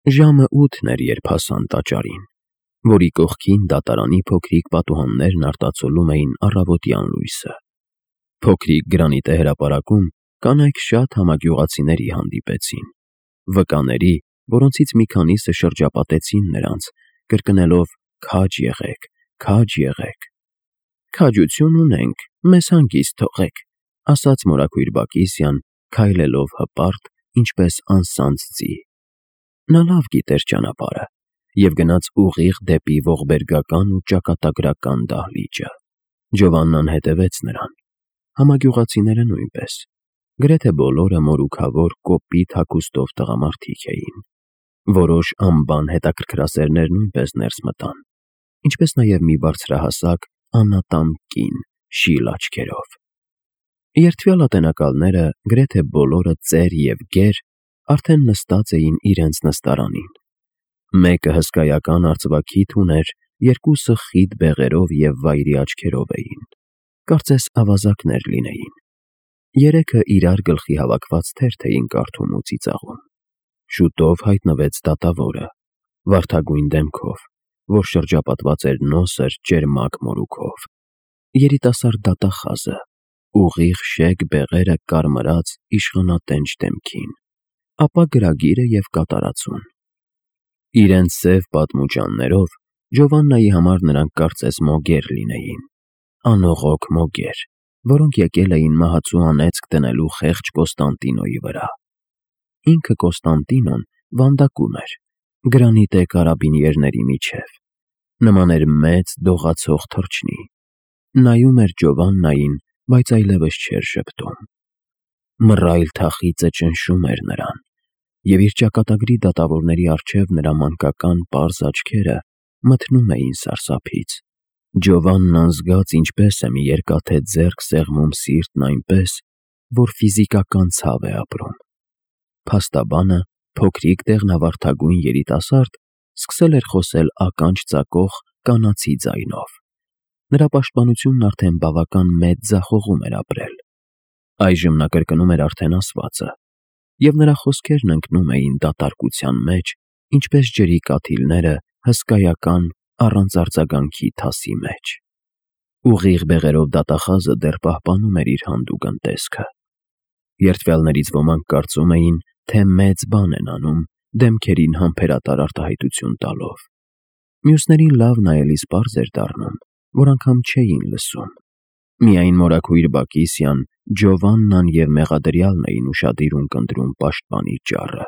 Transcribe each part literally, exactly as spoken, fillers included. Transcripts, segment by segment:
Ժամը ութն էր, երբ հասան տաճարին, որի կողքին դատարանի փոքրիկ պատուհաններն արտացոլում էին առավոտյան լույսը։ Փոքրիկ գրանիտե հրապարակում կանայք շատ համագյուղացիների հանդիպեցին, վկաների, որոնցից մի քանիսը շրջապատեցին նրանց, կրկնելով. «Քաջ եղեք, քաջ եղեք»։ «Քաջություն ունենք, մեզ հանգիստ թողեք», ասաց մորաքույր Բակիսյան, քայլելով հպարտ, ինչպես անսանձ ձի։ Նա լավ գիտեր ճանապարհը և գնաց ուղիղ դեպի ողբերգական ու ճակատագրական դահլիճը։ Ջովաննան հետևեց նրան, համագյուղացիները նույնպես, գրեթե բոլորը մորուքավոր, կոպիտ հագուստով տղամարդիկ էին։ Որոշ անբան հետաքրքրասերներ նույնպես ներս մտան, ինչպես նաև մի բարձրահասակ, անատամ կին շիլ աչքերով։ Երդվյալ ատենակալները, գրեթե բոլորը ծեր և գեր, արդեն նստած էին իրենց նստարանին։ Մեկը հսկայական արծվաքիթ ուներ, երկուսը խիտ բեղերով և վայրի աչքերով էին, կարծես ավազակներ լինեին։ Երեքը իրար գլխի հավաքված թերթ էին կարդում ու ծիծաղում։ Շուտով հայտնվեց դատավորը, վարդագույն դեմքով, որ շրջապատված էր նոսր, ճերմակ մորուքով։ Երիտասարդ դատախազը, ուղիղ շեկ բեղերը կարմրած իշխանատենչ դեմքին, ապա գրագիրը և կատարածուն։ Իրենց սև պատմուճաններով Ջովաննայի համար նրանք կարծես մոգեր լինեին, անողոք մոգեր, որոնք եկել էին մահացու անեծք դնելու խեղճ Կոստանդինոյի վրա։ Ինքը Կոստանդինոն վանդակում էր, գրանիտե կարաբինիերների միջև, նման էր մեծ դողացող թռչնի, նայում էր Ջովաննային, բայց այլևս չէր ժպտում։ Մռայլ թախիծը ճնշում էր նրան, և իր ճակատագրի դատավորների առջև նրա մանկական պարզ աչքերը մթնում էին սարսափից։ Ջովաննան զգաց ինչպես է մի երկաթե ձեռք սեղմում սիրտն այնպես, որ ֆիզիկական ցավ է ապրում։ Փաստաբանը, փոքրիկ դեղնավարդագույն երիտասարդ, սկսել էր խոսել ականջ ծակող կանացի ձայնով։ Նրա պաշտպանությունն արդեն բավական մեծ ձախողում էր ապրել։ Այժմ նա կրկնում էր արդեն ասվածը, և նրա խոսքերն ընկնում էին դատարկության մեջ, ինչպես ջրի կաթիլները հսկայական, առանց արձագանքի թասի մեջ։ Ուղիղ բեղերով դատախազը դեռ պահպանում էր իր հանդուգն տեսքը։ Երդվյալներից ոմանք կարծում էին, թե մեծ բան են անում, դեմքերին համբերատար արտահայտություն տալով։ Մյուսներին լավ նայելիս պարզ էր դառնում, որ անգամ չէին լսում։ Միայն մորաքույր Բակիսյան, Ջովաննան և մեղադրյալն էին ուշադիր ունկնդրում պաշտպանի ճառը։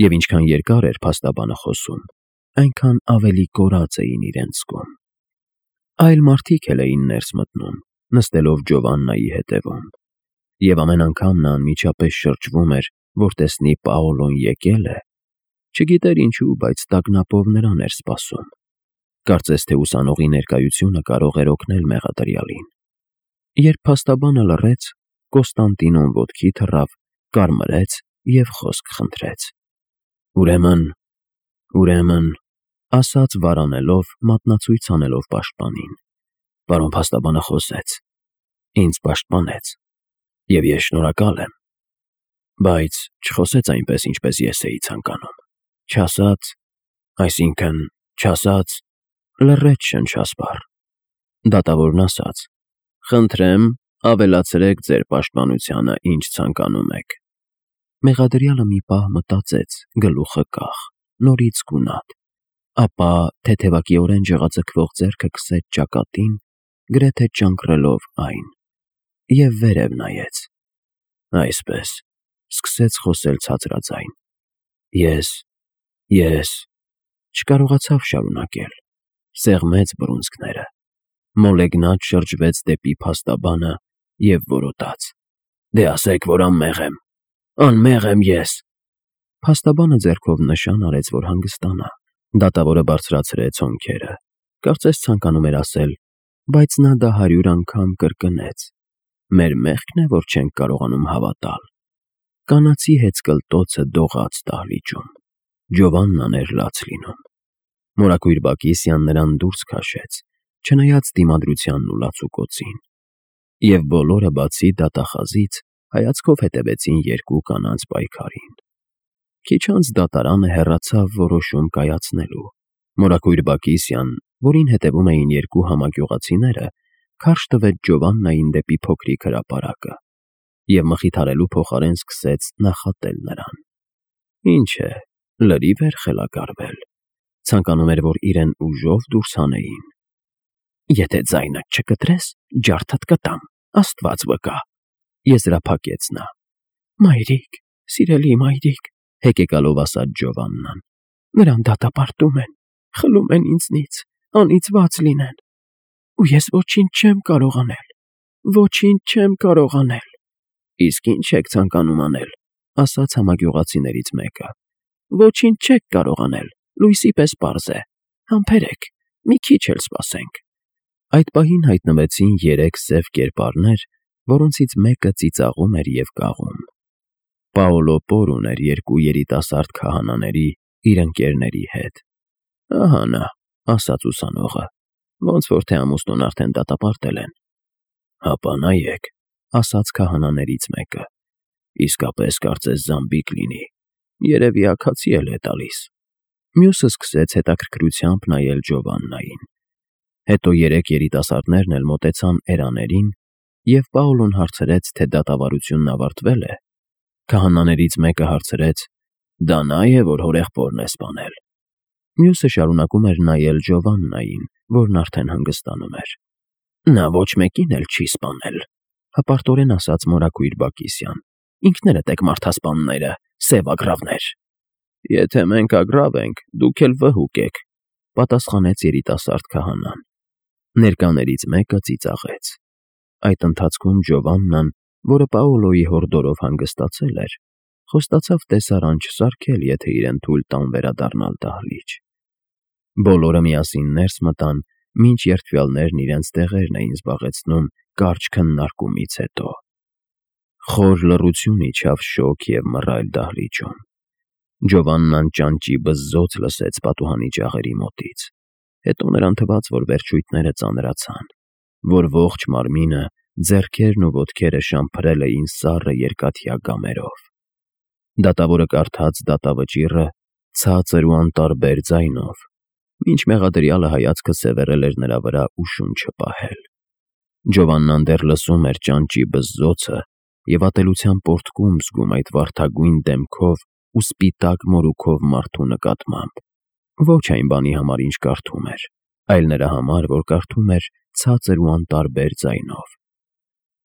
Եվ ինչքան երկար էր փաստաբանը խոսում, այնքան ավելի կորած էին իրենց զգում։ Այլ մարդիկ էլ էին ներս մտնում, նստելով Ջովաննայի հետևում, և ամեն անգամ նա անմիջապես շրջվում էր, որ տեսնի Պաոլոն եկել է, չգիտեր ինչու, բայց տագնապով նրան էր սպասում, կարծես թե ուսանողի ներկայությունը կարող էր օգնել մեղադրյալին։ Երբ փաստաբանը լռեց, Կոստանդինոն ոտքի թռավ, կարմրեց և խոսք խնդրեց։ «Ուրեմն, ուրեմն», ասաց վարանելով, մատնացույց անելով պաշտպանին, «պարոն փաստաբանը խոսեց, ինձ պաշտպանեց, և ես շնորհակալ եմ, բայց չխոսեց այնպես, ինչպես ես էի ցանկանում, չասաց, այսինքն՝ չասաց…» Լռեց շնչասպառ։ Դատավորն ասաց. «Խնդրեմ, ավելացրեք ձեր պաշտպանությանը, ինչ ցանկանում եք»։ Մեղադրյալը մի պահ մտածեց, գլուխը կախ, նորից գունատ, ապա թեթևակիորեն ջղաձգվող ձեռքը քսեց ճակատին, գրեթե ճանկռելով այն, և վերև նայեց։ Այսպես, սկսեց խոսել ցածրաձայն. «Ես… ես…» Չկարողացավ շարունակել, սեղմեց բռունցքները, մոլեգնած շրջվեց դեպի փաստաբանը և որոտաց. «Դե ասեք, որ անմեղ եմ, անմեղ եմ ես»։ Փաստաբանը ձեռքով նշան արեց, որ հանգստանա։ Դատավորը բարձրացրեց հոնքերը, կարծես ցանկանում էր ասել. «Բայց նա դա հարյուր անգամ կրկնեց. մեր մեղքն է, որ չենք կարողանում հավատալ»։ Կանացի հեծկլտոցը դողաց դահլիճում։ Ջովաննան էր լաց լինում։ Մորաքույր Բակիսյան նրան դուրս քաշեց, չնայած դիմադրությանն ու լացուկոցին։ Եվ բոլորը, բացի դատախազից, հայացքով հետևեցին երկու կանանց պայքարին։ Քիչ անց դատարանը հեռացավ որոշում կայացնելու։ Մորաքույր Բակիսյան, որին հետևում էին երկու համագյուղացիները, քարշ տվեց Ջովաննային դեպի փոքրիկ հրապարակը և մխիթարելու փոխարեն սկսեց նախատել նրան։ Ինչ է, լրիվ էր խելագարվել, ցանկանում էր, որ իրեն ուժով դուրս հանեին։ «Եթե ձայնդ չկտրես, ջարդդ կտամ, Աստված վկա», եզրափակեց նա։ «Մայրիկ, սիրելի մայրիկ», հեկեկալով ասաց Ջովաննան, «նրան դատապարտում են, խլում են ինձնից, անիծված լինեն, ու ես ոչինչ չեմ կարող անել, ոչինչ չեմ կարող անել»։ «Իսկ ի՞նչ եք ցանկանում անել», ասաց համագյուղացիներից մեկը։ «Ոչինչ չեք կարող անել, լույսի պես պարզ է, համբերեք, մի քիչ էլ սպասենք»։ Այդ պահին հայտնվեցին երեք սև կերպարներ, որոնցից մեկը ծիծաղում էր և կաղում։ Պաոլո Պորուն էր երկու երիտասարդ քահանաների, իր ընկերների հետ։ «Ահա նա», ասաց ուսանողը, «ոնց որ թե ամուսնուն արդեն դատապարտել են»։ «Հապա նայեք», ասաց քահանաներից մեկը, «իսկապես կարծես զամբիկ լինի, երևի աքացի էլ է տալիս»։ Մյուսը սկսեց հետաքրքրությամբ նայել Ջովաննային։ Հետո երեք երիտասարդներն էլ մոտեցան էրաներին, և Պաոլոն հարցրեց, թե դատավարությունն ավարտվե՞լ է։ Քահանաներից մեկը հարցրեց. «Դա նա է, որ հորեղբորն է սպանել»։ Մյուսը շարունակում էր նայել Ջովաննային, որն արդեն հանգստանում էր։ «Նա ոչ մեկին էլ չի սպանել», հպարտորեն ասաց մորաքույր Բակիսյան։ «Ինքներդ եք մարդասպանները, սև ագռավներ»։ «Եթե մենք ագռավ ենք, դուք էլ վհուկ եք», պատասխանեց երիտասարդ քահանան։ Ներկաներից մեկը ծիծաղեց։ Այդ ընթացքում Ջովաննան, որը Պաոլոյի հորդորով հանգստացել էր, խոստացավ տեսարան չսարքել, եթե իրեն թույլ տան վերադառնալ դահլիճ։ Բոլորը միասին ներս մտան, մինչ երդվյալներն իրենց տեղերն էին զբաղեցնում կարճ քննարկումից հետո։ Խոր լռություն իջավ շոգ և մռայլ դահլիճում։ Ջովաննան ճանճի բզզոց լսեց պատուհանի ջաղերի մոտից։ Հետո նրան թվաց, որ վերջույթները ծանրացան, որ ողջ մարմինը, ձեռքերն ու ոտքերը շամփրել էին սառը երկաթյա գամերով։ Դատավորը կարդաց դատավճիռը ցածր ու անտարբեր ձայնով, մինչ մեղադրյալը հայացքը սևեռել էր նրա վրա ու շունչը պահել։ Ջովաննան դեռ լսում էր ճանճի բզզոցը և ատելության պոռթկում զգում այդ վարդագույն դեմքով ու սպիտակ մորուքով մարդու նկատմամբ։ Ոչ այն բանի համար, ինչ կարդում էր, այլ նրա համար, որ կարդում էր ցածր ու անտարբեր ձայնով։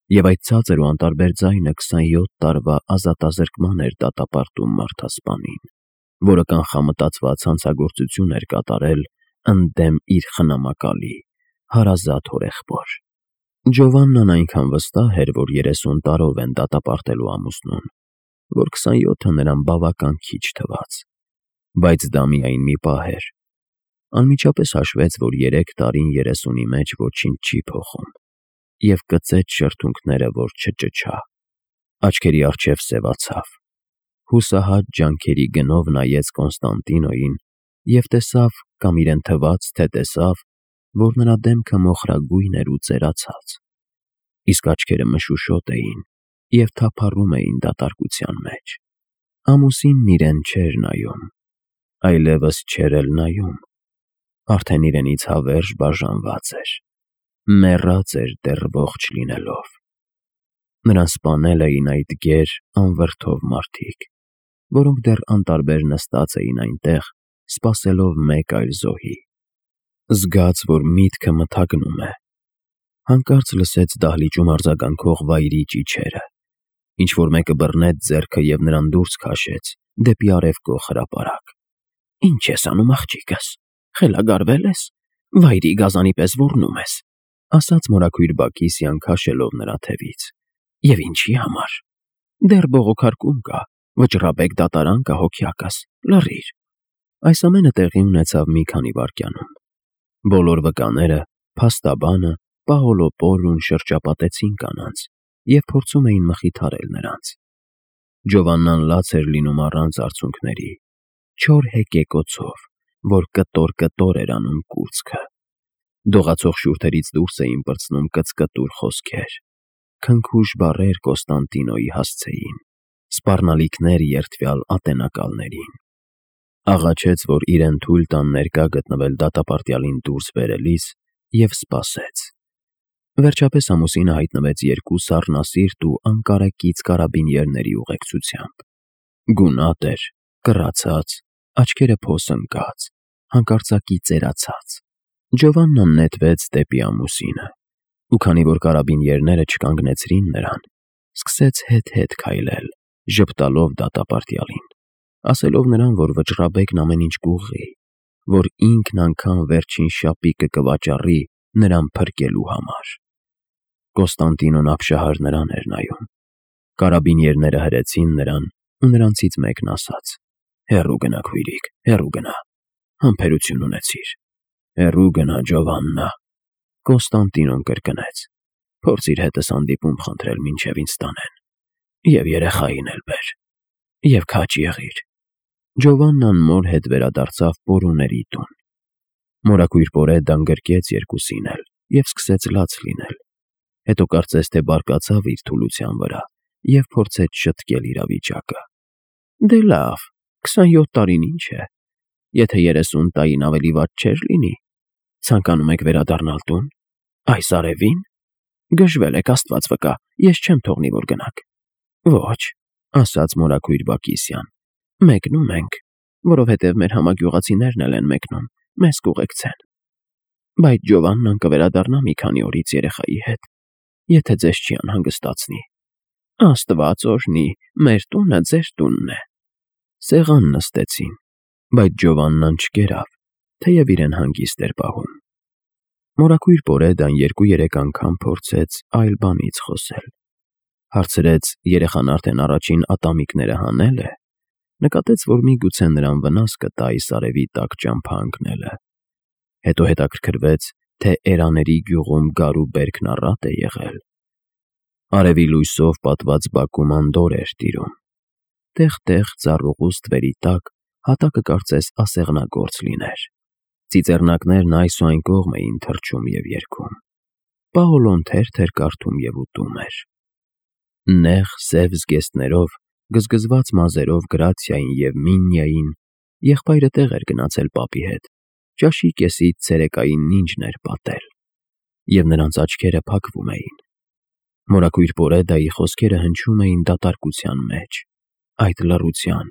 Եվ այդ ցածր ու անտարբեր ձայնը քսանյոթ տարվա ազատազրկման էր դատապարտում մարդասպանին, որը կանխամտածված հանցագործություն էր կատարել ընդդեմ իր խնամակալի, հարազատ հորեղբոր։ Ջովաննան այնքան վստահ էր, որ երեսուն տարով են դատապարտելու ամուսնուն, որ քսանյոթը նրան բավական քիչ թվաց։ Բայց դա միայն մի պահ էր։ Անմիջապես հաշվեց, որ երեք տարին երեսունի մեջ ոչինչ չի փոխում, և կծեց շրթունքները, որ չճչա։ Աչքերի առջև սևացավ։ Հուսահատ ջանքերի գնով նայեց Կոնստանտինոյին և տեսավ, կամ իրեն թվաց, թե տեսավ, որ նրա դեմքը մոխրագույն էր ու ծերացած, իսկ աչքերը մշուշոտ էին և թափառում էին դատարկության մեջ։ Ամուսինն իրեն չէր նայում, այլևս չէր էլ նայում, արդեն իրենից հավերժ բաժանված էր, մեռած էր դեռ ողջ լինելով։ Նրան սպանել էին այդ գեր, անվրդով մարդիկ, որոնք դեռ անտարբեր նստած էին այնտեղ, սպասելով մեկ այլ զոհի։ Զգաց, որ միտքը մթագնում է։ Հանկարծ լսեց դահլիճում արձագանքող վայրի ճիչերը։ Ինչ-որ մեկը բռնեց ձեռքը և նրան դուրս քաշեց դեպի արևկող հրապարակ։ «Ինչ ես անում, աղջիկս, խելագարվե՞լ ես, վայրի գազանի պես ոռնում ես», ասաց մորաքույր Բակիսյան, քաշելով նրա թևից։ «Եվ ինչի համար։ Դեռ բողոքարկում կա, վճռաբեկ դատարան կա, հոգյակս, լռիր»։ Այս ամենը տեղի ունեցավ մի քանի վայրկյանում։ Բոլոր վկաները, փաստաբանը, Պաոլո Պորուն շրջապատեցին կանանց և փորձում էին մխիթարել նրանց։ Ջովաննան լաց էր լինում առանց արցունքների, չոր հեկեկոցով, որ կտոր-կտոր էր անում կուրծքը։ Դողացող շուրթերից դուրս էին պրծնում կծկտուր խոսքեր, քնքուշ բառեր Կոնստանտինոյի հասցեին։ սպառնալիքներ երդվյալ ատենակալներին։ Աղաչեց, որ իրեն թույլ տան ներկա գտնվել դատապարտյալին դուրս բերելիս, և սպասեց։ Վերջապես ամուսինը հայտնվեց երկու սառնասիրտ ու անկարեկից կարաբինյերների ուղեկցությամբ։ Գունատ էր, կռացած, աչքերը փոս ընկած, հանկարծակի ծերացած։ Ջովաննան նետվեց դեպի ամուսինը, ու քանի որ կարաբինյերները չկանգնեցրին նրան, սկսեց հետ-հետ քայլել, ժպտալով դատապարտյալին, ասելով նրան, որ վճռաբեկն ամեն ինչ կուղղի, որ ինքն անգամ վերջին շապիկը կվաճառի նրան փրկելու համար։ Կոստանդինոն ապշահար նրան էր նայում։ Կարաբինյերները հրեցին նրան, ու նրանցից մեկն ասաց. «Հեռու գնա, քույրիկ, հեռու գնա, համբերություն ունեցիր, հեռու գնա, Ջովաննա»։ Կոստանդինոն կրկնեց. «Փորձիր հետս հանդիպում խնդրել, մինչև ինձ տանեն, և երեխային էլ բեր, և քաջ եղիր»։ Ջովաննան մոր հետ վերադարձավ պորուների տուն։ Մորաքույր Պորեդան գրկեց երկուսին էլ և սկսեց լաց լինել, հետո կարծես թե բարկացավ իր թուլության վրա և փորձեց շտկել իրավիճակը։ «Դե լավ, քսանյոթ տարին ինչ է, եթե երեսուն տարին ավելի վատ չէր լինի, ցանկանում եք վերադառնալ տուն, այս արևի՞ն։ Գժվել եք, Աստված վկա, ես չեմ թողնի, որ գնաք»։ «Ոչ», ասաց մորաքույր Բակիսյան, «մեկնում ենք, որովհետև մեր համագյուղացիներն էլ են մեկնում, մեզ կուղեկցեն։ Բայց Ջովաննան կվերադառնա մի քանի օրից երեխայի հետ, եթե ձեզ չի անհանգստացնի։ Աստված օրհնի, մեր տունը ձեր տունն է»։ Սեղան նստեցին, բայց Ջովաննան չկերավ, թեև իրեն հանգիստ էր պահում։ Մորաքույր Պորեդան երկու֊երեք անգամ փորձեց այլ բանից խոսել։ Հարցրեց երեխան արդեն առաջին ատամիկները հանե՞լ է, նկատեց, որ միգուցե նրան վնաս կտա այս արևի տակ ճամփա ընկնելը։ Հետո հետաքրքրվեց, թե Էրաների գյուղում գարու բերքն առատ է եղել։ Արևի լույսով պատված բակում անդորր էր տիրում։ Տեղ֊տեղ ծառուղու ստվերի տակ հատակը կարծես ասեղնագործ լիներ։ Ծիծեռնակներն այս ու այն կողմ էին թռչում և երգում։ Պաոլոն թերթ էր կարդում և ուտում էր։ Նեղ սև զգեստներով, գզգզված մազերով Գրացիային և Միննիային եղբայրը տեղ էր գնացել պապի հետ, ճաշի կեսից ցերեկային նինջն էր պատել, և նրանց աչքերը փակվում էին։ Մորաքույր Պորեդայի խոսքերը հնչում էին դատարկության մեջ, այդ լռության,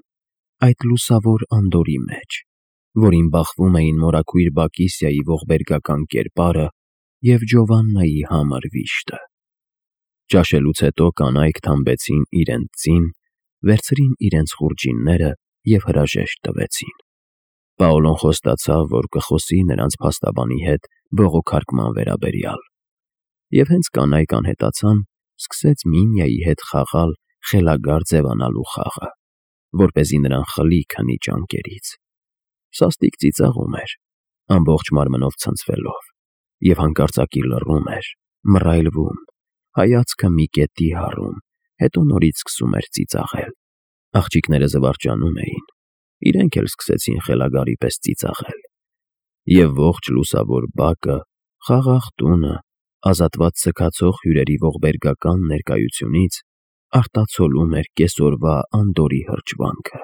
այդ լուսավոր անդորրի մեջ, որին բախվում էին մորաքույր Բակիսիայի ողբերգական կերպարը և Ջովաննայի համր վիշտը։ Ճաշելուց հետո կանայք թամբեցին իրենց ձին, վերցրին իրենց խուրջինները և հրաժեշտ տվեցին։ Պաոլոն խոստացավ, որ կխոսի նրանց փաստաբանի հետ բողոքարկման վերաբերյալ, և հենց կանայք անհետացան, սկսեց Միննիայի հետ խաղալ խելագար ձևանալու խաղը, որպեսզի նրան խլի քնի ճանկերից։ Սաստիկ ծիծաղում էր, ամբողջ մարմնով ցնցվելով, և հանկարծակի լռում էր, մռայլվում, հայացքը մի կետի հառում, հետո նորից սկսում էր ծիծաղել։ Աղջիկները զվարճանում էին, իրենք էլ սկսեցին խելագարի պես ծիծաղել։ Եվ ողջ լուսավոր բակը, խաղաղ տունը, ազատված սգացող հյուրերի ողբերգական ներկայությունից արտացոլում էր կեսօրվա անդորրի հրճվանքը։